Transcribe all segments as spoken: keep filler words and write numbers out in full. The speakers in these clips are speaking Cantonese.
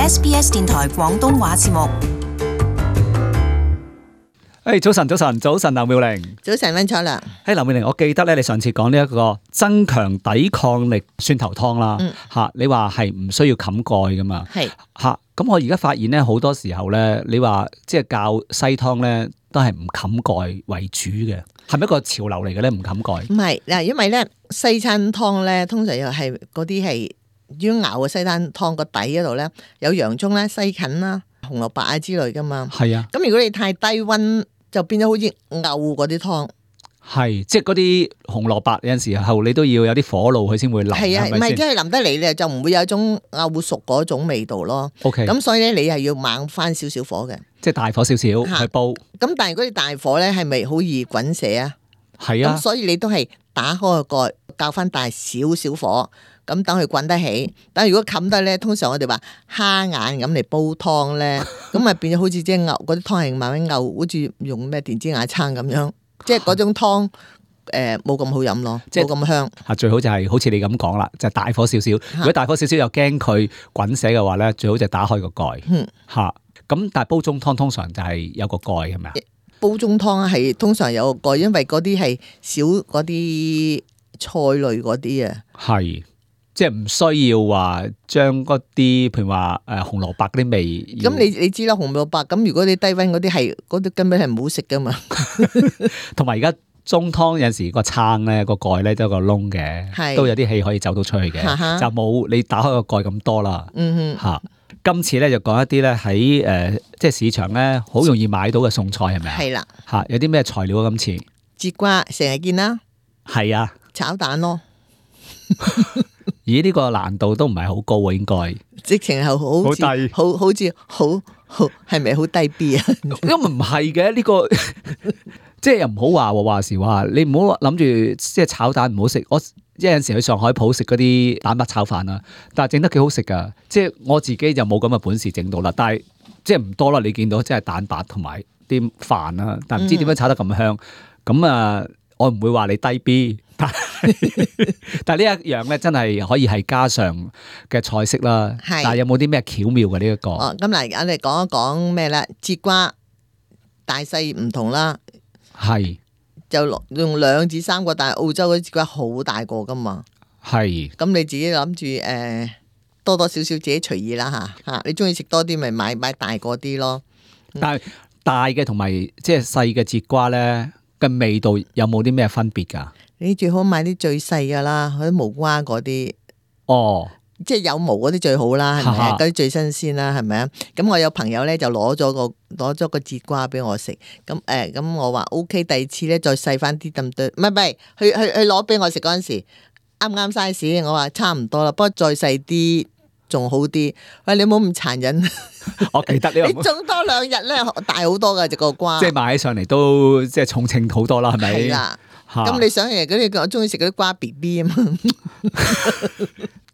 S B S 電台廣東話節目。誒、hey, 早晨，早晨，早晨，劉妙玲。早晨，溫楚良。誒，劉妙玲，我記得咧，你上次講呢一個增強抵抗力蒜頭湯啦，吓、嗯，你話係唔需要冚蓋噶嘛？係吓，咁我而家發現咧，好多時候咧，你話即係教西湯咧，都係唔冚蓋為主嘅，係咪一個潮流嚟嘅咧？唔冚蓋？唔係嗱，因為咧西餐湯咧，通常又係嗰啲係要熬嘅西餐湯個底嗰度咧，有洋葱啦、西芹啦、紅蘿蔔啊之類噶嘛。係啊。咁如果你太低溫，就變咗好似漚嗰啲湯，係即係嗰啲紅蘿蔔有陣時候你都要有啲火爐佢先會腍，係啊，唔係即係腍得嚟咧就唔會有一種漚熟嗰種味道咯。OK，咁所以咧你係要猛翻少少火嘅，即係大火少少去煲。咁但係嗰啲大火咧係咪好易滾瀉啊？係啊，咁所以你都係打開個蓋，較翻大少少火。咁等佢滾得起，但係如果冚得咧，通常我哋話蝦眼咁嚟煲湯咧，咁咪變咗好似即係牛嗰啲湯係慢慢牛，好似用咩電子瓦罉咁樣，即係嗰種湯誒冇咁好飲咯，冇咁香。啊，最好就係好似你咁講啦，就係大火少少。如果大火少少又驚佢滾瀉嘅話咧，最好就打開個蓋。嗯，嚇。咁但係煲中湯通常就係有個蓋係咪啊？煲中湯係通常有個蓋，因為嗰啲係少嗰啲菜類嗰啲啊。係。即係唔需要話將嗰啲，譬如話誒紅蘿蔔嗰啲味。咁你你知啦，紅蘿蔔咁，如果你低溫嗰啲係嗰啲根本係唔好食噶嘛。同埋而家中湯有陣時個撐咧個蓋咧都有個窿嘅，都有啲氣可以走到出去嘅，就冇你打開個蓋咁多啦。嗯哼，嚇。今次咧就講一啲咧喺誒即係市場咧好容易買到嘅餸菜係咪啊？係啦。嚇，有啲咩材料啊？今次節瓜成日見啦。係啊。炒蛋咯。咦？呢個難度都唔係好高喎，應該直情係好好低，好好似好好係咪好低 B 啊？因為唔係嘅呢個，即係又唔好話話時話，你唔好諗住即係炒蛋唔好食。我有陣時去上海鋪食嗰啲蛋白炒飯啊，但係整得幾好食噶。即係我自己就冇咁嘅本事整到啦，但係即係唔多啦。你見到即係蛋白同埋啲飯啦，但係唔知點樣炒得咁香。咁啊、嗯，我唔會話你低 B。但係呢一樣咧，真係可以係家常嘅菜式啦。係，但係有冇啲咩巧妙嘅呢一個？哦，咁嗱，我哋講一講咩啦？節瓜大細唔同啦。係，就用兩至三個，但係澳洲嗰啲節瓜好大個噶嘛。係，咁你自己諗住誒，多多少少自己隨意啦吓吓。你中意食多啲，咪買買大個啲咯。但係大嘅同埋即係細嘅節瓜咧嘅味道有冇啲咩分別噶？你最好買啲最細噶啦，嗰啲無瓜嗰啲，哦，即係有毛嗰啲最好啦，係咪啊？嗰啲最新鮮啦，係咪啊？咁我有朋友咧就攞咗個攞咗個節瓜俾我食，咁誒，咁我話 O K，第二次咧再細翻啲咁多，唔係唔係，去去去攞俾我食嗰陣時，啱啱 size，我話差唔多啦，不過再細啲仲好啲。喂，你唔好咁殘忍，我記得你種多兩日咧大好多噶隻個瓜，即係買起上嚟都即係重稱好多啦，係咪？係啦。咁你想嘅嗰啲，我中意食嗰啲瓜 B B 啊嘛，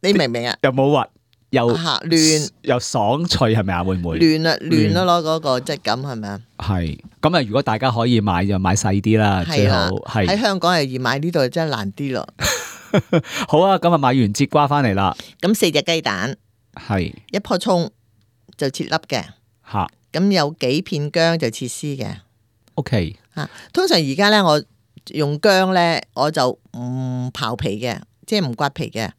你明唔明啊？又冇核，又嫩，又爽脆，係咪啊？會唔會嫩啊？嫩咯，攞嗰個質感係咪啊？係咁啊！如果大家可以買就買細啲啦，最好係喺香港係易買，呢度真係難啲咯。好啊，咁啊買完節瓜翻嚟啦，咁四隻雞蛋，係一棵蔥就切粒嘅，吓，咁有幾片薑就切絲嘅。OK，吓，通常而家咧我。用薑咧，我就唔刨皮嘅，即係唔刮皮嘅。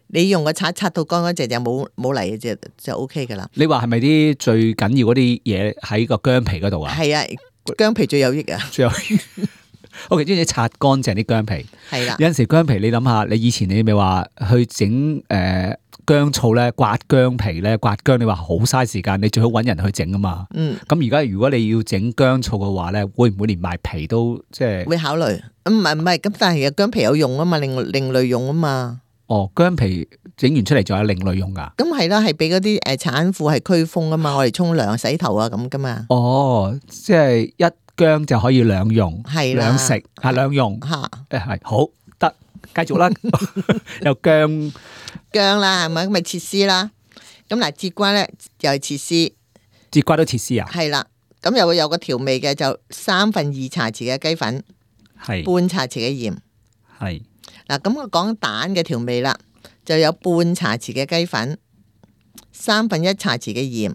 你用個刷刷到乾乾淨淨，冇冇泥嘅就就 O K 噶啦。你話係咪啲最緊要嗰啲嘢喺個薑皮嗰度啊？係啊，薑皮最有益啊！最有益。O K，即係刷乾淨啲薑皮。係啦，有陣時薑皮你諗下，你以前你咪話去整誒薑醋咧，刮薑皮咧，刮薑你話好嘥時間，你最好揾人去整啊嘛。嗯。咁而家如果你要整薑醋嘅話咧，會唔會連埋皮都即係？會考慮。唔係唔係，咁但係薑皮有用啊嘛，另另類用啊嘛。哦，薑皮整完出嚟仲有另類用噶？咁係啦，係俾嗰啲誒產婦係驅風啊嘛，我哋沖涼洗頭啊咁噶嘛。哦，即係一薑就可以兩用，係兩食係兩用吓。誒係好得，繼續啦。有薑薑啦，係咪咁咪切絲啦？咁嗱，節瓜咧又係切絲，節瓜都切絲啊？係啦，咁又會有個調味嘅，就三分二茶匙嘅雞粉，係半茶匙嘅鹽，係。嗱，咁我講蛋嘅調味啦，就有半茶匙嘅雞粉，三分一茶匙嘅鹽，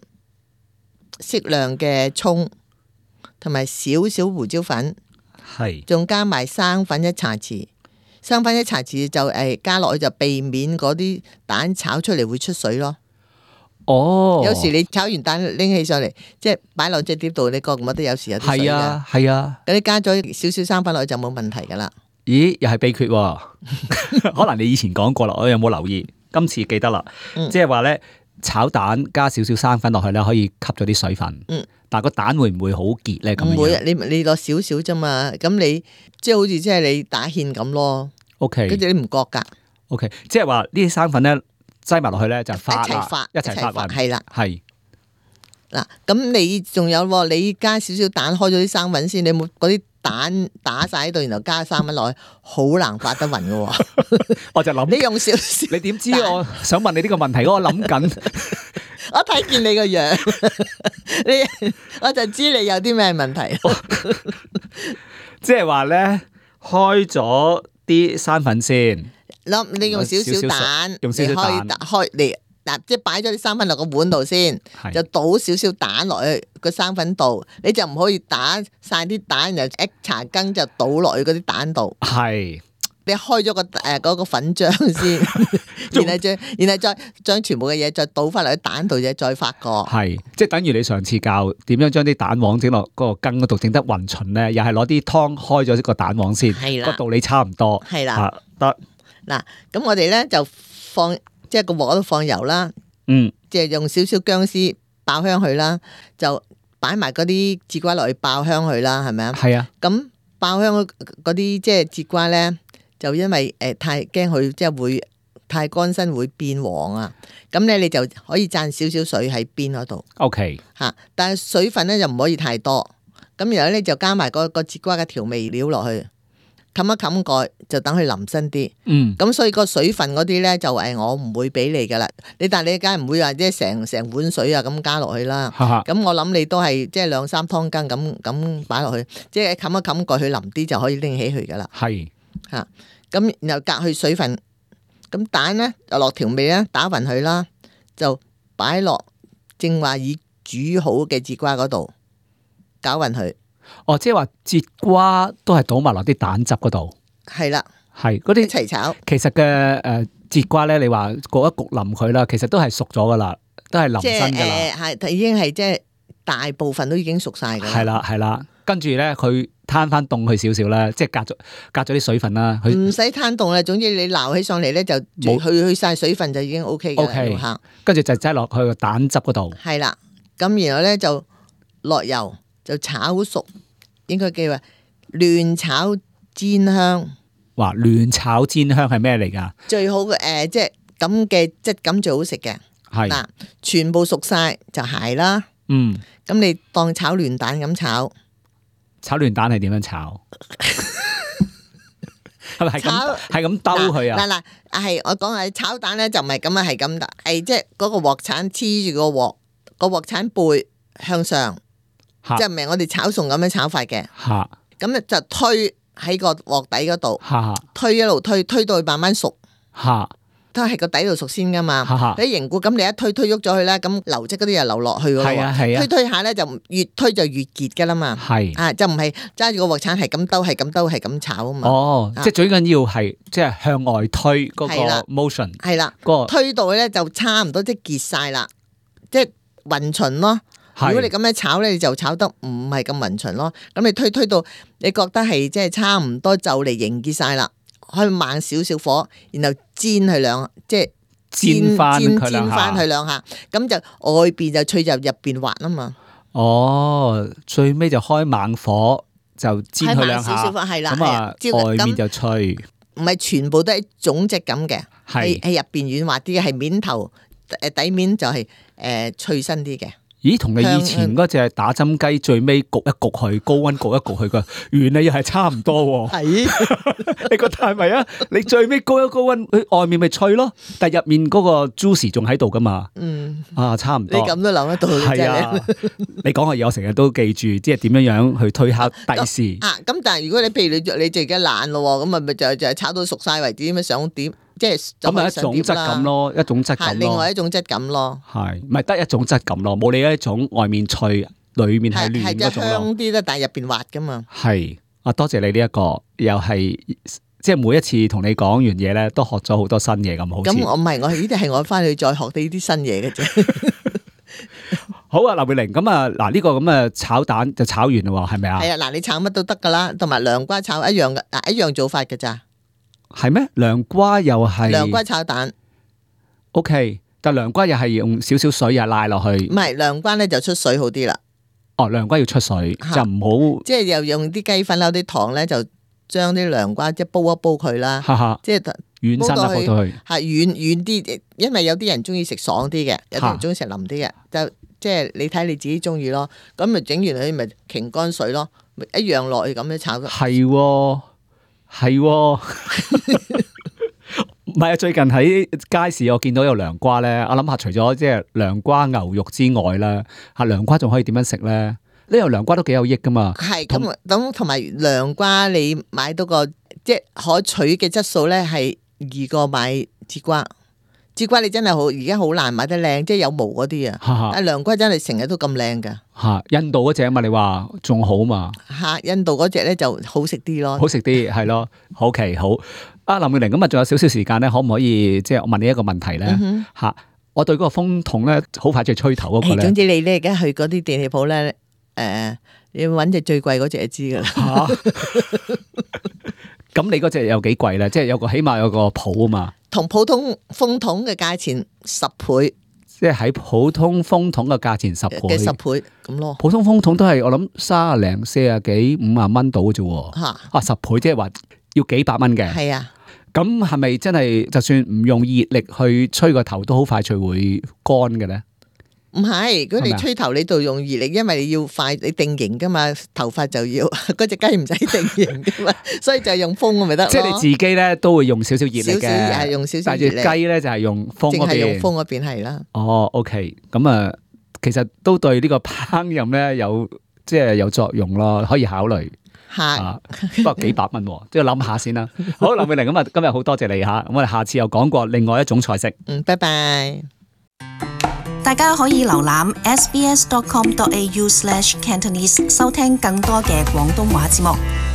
適量嘅蔥，同埋少少胡椒粉，係，仲加埋生粉一茶匙。生粉一茶匙就誒加落去就避免嗰啲蛋炒出嚟會出水咯。哦，有時你炒完蛋拎起上嚟，即係擺落隻碟度，你覺唔覺得有時有啲水㗎？係啊，係啊。咁你加咗少少生粉落去就冇問題噶啦。咦，又係秘訣喎？可能你以前講過啦，我有冇留意？今次記得啦，嗯、即係話咧炒蛋加少少生粉落去咧，可以吸咗啲水分。嗯，但係個蛋會唔會好結咧？咁唔會，你你落少少啫嘛。咁你即係好似即係你打芡咁咯。O K，跟住你唔覺噶。O K，即係話呢啲生粉咧擠埋落去咧就發一齊發，一齊發，係啦，係。嗱，咁你仲有，你加少少蛋，開咗啲生粉先，你冇嗰啲蛋打晒喺度，然後加生粉落去，好難發得匀噶。我就諗你用少少，你點知我想問你呢個問題？我諗緊，我睇見你個樣，你我就知你有啲咩問題。即係話咧，開咗啲生粉先，諗你用少少蛋，用少少蛋開嚟。嗱，即係擺咗啲生粉落個碗度先，就倒少少蛋落去個生粉度，你就唔可以打晒啲蛋，然後一茶羹就倒落去嗰啲蛋度。係，你開咗個誒嗰個粉漿先，然後再然後再將全部嘅嘢再倒翻落去蛋度嘅，再發過。係，即係等於你上次教點樣將啲蛋黃整落嗰個羹嗰度整得勻勻咧，又係攞啲湯開咗個蛋黃先，個道理差唔多。係啦，得。嗱，咁我哋咧就放。即係個鑊度放油啦，嗯，即係用少少薑絲爆香佢啦，就擺埋嗰啲節瓜落去爆香佢啦，係咪啊？係啊。咁爆香嗰啲即係節瓜咧，就因為誒太驚佢即係會太乾身會變黃啊，咁咧你就可以灒少少水喺邊嗰度。O K。吓，但係水分咧就唔可以太多，咁然後咧就加埋個個節瓜嘅調味料落去。冚一冚蓋就等佢腍身啲，嗯，咁所以個水分嗰啲咧就誒我唔會俾你噶啦，你但係你梗係唔會話即係成成碗水啊咁加落去啦，咁我諗你都係即係兩三湯羹咁咁擺落去，即係冚一冚蓋佢腍啲就可以拎起佢噶啦，係吓，咁然後隔去水分，咁蛋咧就落調味咧打勻佢啦，就擺落正話已煮好嘅節瓜嗰度攪勻佢。哦，即係話節瓜都係倒埋落啲蛋汁嗰度，係啦，係嗰啲一齊炒。其實嘅誒節瓜咧，你話焗一焗腍佢啦，其實都係熟咗噶啦，都係腍身噶啦，係、呃、已經係即係大部分都已經熟晒噶啦。係啦係啦，跟住咧佢攤翻凍佢少少啦，即係隔咗隔咗啲水分啦。佢唔使攤凍啦，總之你撈起上嚟咧就去去晒水分就已經 O K 嘅。O K， 跟住就擠落去個蛋汁嗰度。係啦，咁然後咧就落油。就炒熟，應該叫話亂炒煎香。哇！亂炒煎香係咩嚟㗎？最好嘅誒、呃，即係咁嘅質感最好食嘅。係嗱，全部熟晒就係啦。嗯，咁你當炒亂蛋咁炒。炒亂蛋係點樣炒？係咪係咁係咁兜佢啊？嗱嗱，係我講係炒蛋咧，就唔係咁啊，係咁打，係即係嗰個鑊鏟黐住個鑊，個鑊鏟背向上。即係唔係我哋炒餸咁樣炒法嘅，咁咧就推喺個鑊底嗰度，推一路推，推到佢慢慢熟，都係個底度熟先噶嘛。你凝固咁，你一推推喐咗佢咧，咁流質嗰啲又流落去噶咯。推推下咧就越推就越結噶啦嘛。係啊，就唔係揸住個鑊鏟係咁兜，係咁兜，係咁炒啊嘛。哦，即係最緊要係即係向外推嗰個 motion。係啦，個推到咧就差唔多即係結晒啦，即係勻勻咯。如果你咁樣炒咧，你就炒得唔係咁勻勻咯。咁你推推到你覺得係即係差唔多就嚟凝結晒啦，可以慢少少火，然後煎佢兩，即係煎翻煎煎翻佢兩下，咁就外邊就脆，就入邊滑啊嘛。哦，最尾就開猛火就煎佢兩下，咁啊外面就脆。唔係全部都係種質咁嘅，係係入邊軟滑啲嘅，係面頭誒底面就係、是、誒、呃、脆身啲嘅。咦，同你以前嗰隻打針雞最尾焗一焗佢，高溫焗一焗佢個原理又係差唔多喎。係，你覺得係咪啊？你最尾高一高溫，佢外面咪脆咯，但係入面嗰個 juicy 仲喺度噶嘛。嗯，啊，差唔多。你咁都諗得到，係啊。你講嘅嘢我成日都記住，即係點樣樣去推敲第時。啊，咁但係如果你譬如你你自己懶咯，咁咪咪就就係炒到熟晒為止，咁樣上碟即係咁係一種質感咯，一種質感咯。另外一種質感咯。係，唔係得一種質感咯，冇你一種外面脆，裏面係嫩嗰種咯。香啲咧，但係入邊滑噶嘛。係啊，多謝你呢、這、一個，又係即係每一次同你講完嘢咧，都學咗好多新嘢咁，好似。咁我唔係，我呢啲係我翻去再學啲啲新嘢嘅啫。好啊，劉妙玲，咁啊，嗱呢個咁嘅炒蛋就炒完啦喎，係咪啊？係啊，嗱你炒乜都得噶啦，同埋涼瓜炒一樣嘅，嗱一樣做法嘅咋？係咩？涼瓜又係？涼瓜炒蛋。O K，但涼瓜又係用少少水又拉落去。唔係涼瓜咧就出水好啲啦。哦，涼瓜要出水，就唔好。即係又用啲雞粉啦，啲糖咧就將啲涼瓜即係煲一煲佢啦。即係軟身啦，煲到去。係軟軟啲，因為有啲人中意食爽啲嘅，有啲人中意食腍啲嘅，就。即係你睇你自己中意咯，咁咪整完佢咪擎乾水咯，咪一樣落去咁樣炒。係喎，係喎，唔係啊！最近喺街市我見到有涼瓜咧，我諗下除咗即係涼瓜牛肉之外咧，嚇涼瓜仲可以點樣食咧？呢個涼瓜都幾有益噶嘛。係咁咁，同埋涼瓜你買到個即係可取嘅質素咧，係易過買節瓜。節瓜你真係好，而家好難買得靚，即係有毛嗰啲啊。但係涼瓜真係成日都咁靚噶。吓，印度嗰隻啊嘛，你話仲好嘛？吓，印度嗰隻咧就好食啲咯。好食啲係咯。好奇好。啊，林妙玲，咁啊，仲有少少時間咧，可唔可以即係我問你一個問題咧？吓、嗯哼，我對嗰個風筒咧，好快就吹頭嗰個咧。總之你咧而家去嗰啲電器鋪咧，誒、呃，你要揾隻最貴嗰隻就知噶啦。咁你嗰隻有幾貴咧？即係有個起碼有個譜啊嘛。同普通風筒嘅價錢十倍，即係喺普通風筒嘅價錢十倍嘅十倍咁咯。普通風筒都係我諗三十零、四十幾、五十蚊到嘅啫。吓啊，十倍即係話要幾百蚊嘅。係啊，咁係咪真係就算唔用熱力去吹個頭，都好快脆會乾嘅咧？唔係，如果你吹頭你度用熱力，因為你要快，你定型噶嘛，頭髮就要嗰隻雞唔使定型噶嘛，所以就係用風咪得咯。即係你自己咧都會用少少熱力嘅，少少係用少少熱力。但係雞咧就係用風嗰邊，淨係用風嗰邊係啦。哦 ，OK，咁啊，其實都對呢個烹飪咧有即係有作用咯，可以考慮。吓，不過幾百蚊，即係諗下先啦。好，林妙玲，咁啊，今日好多謝你吓，咁我哋下次又講過另外一種菜式。嗯，拜拜。大家可以瀏覽 s b s dot com dot a u slash cantonese 收聽更多嘅廣東話節目。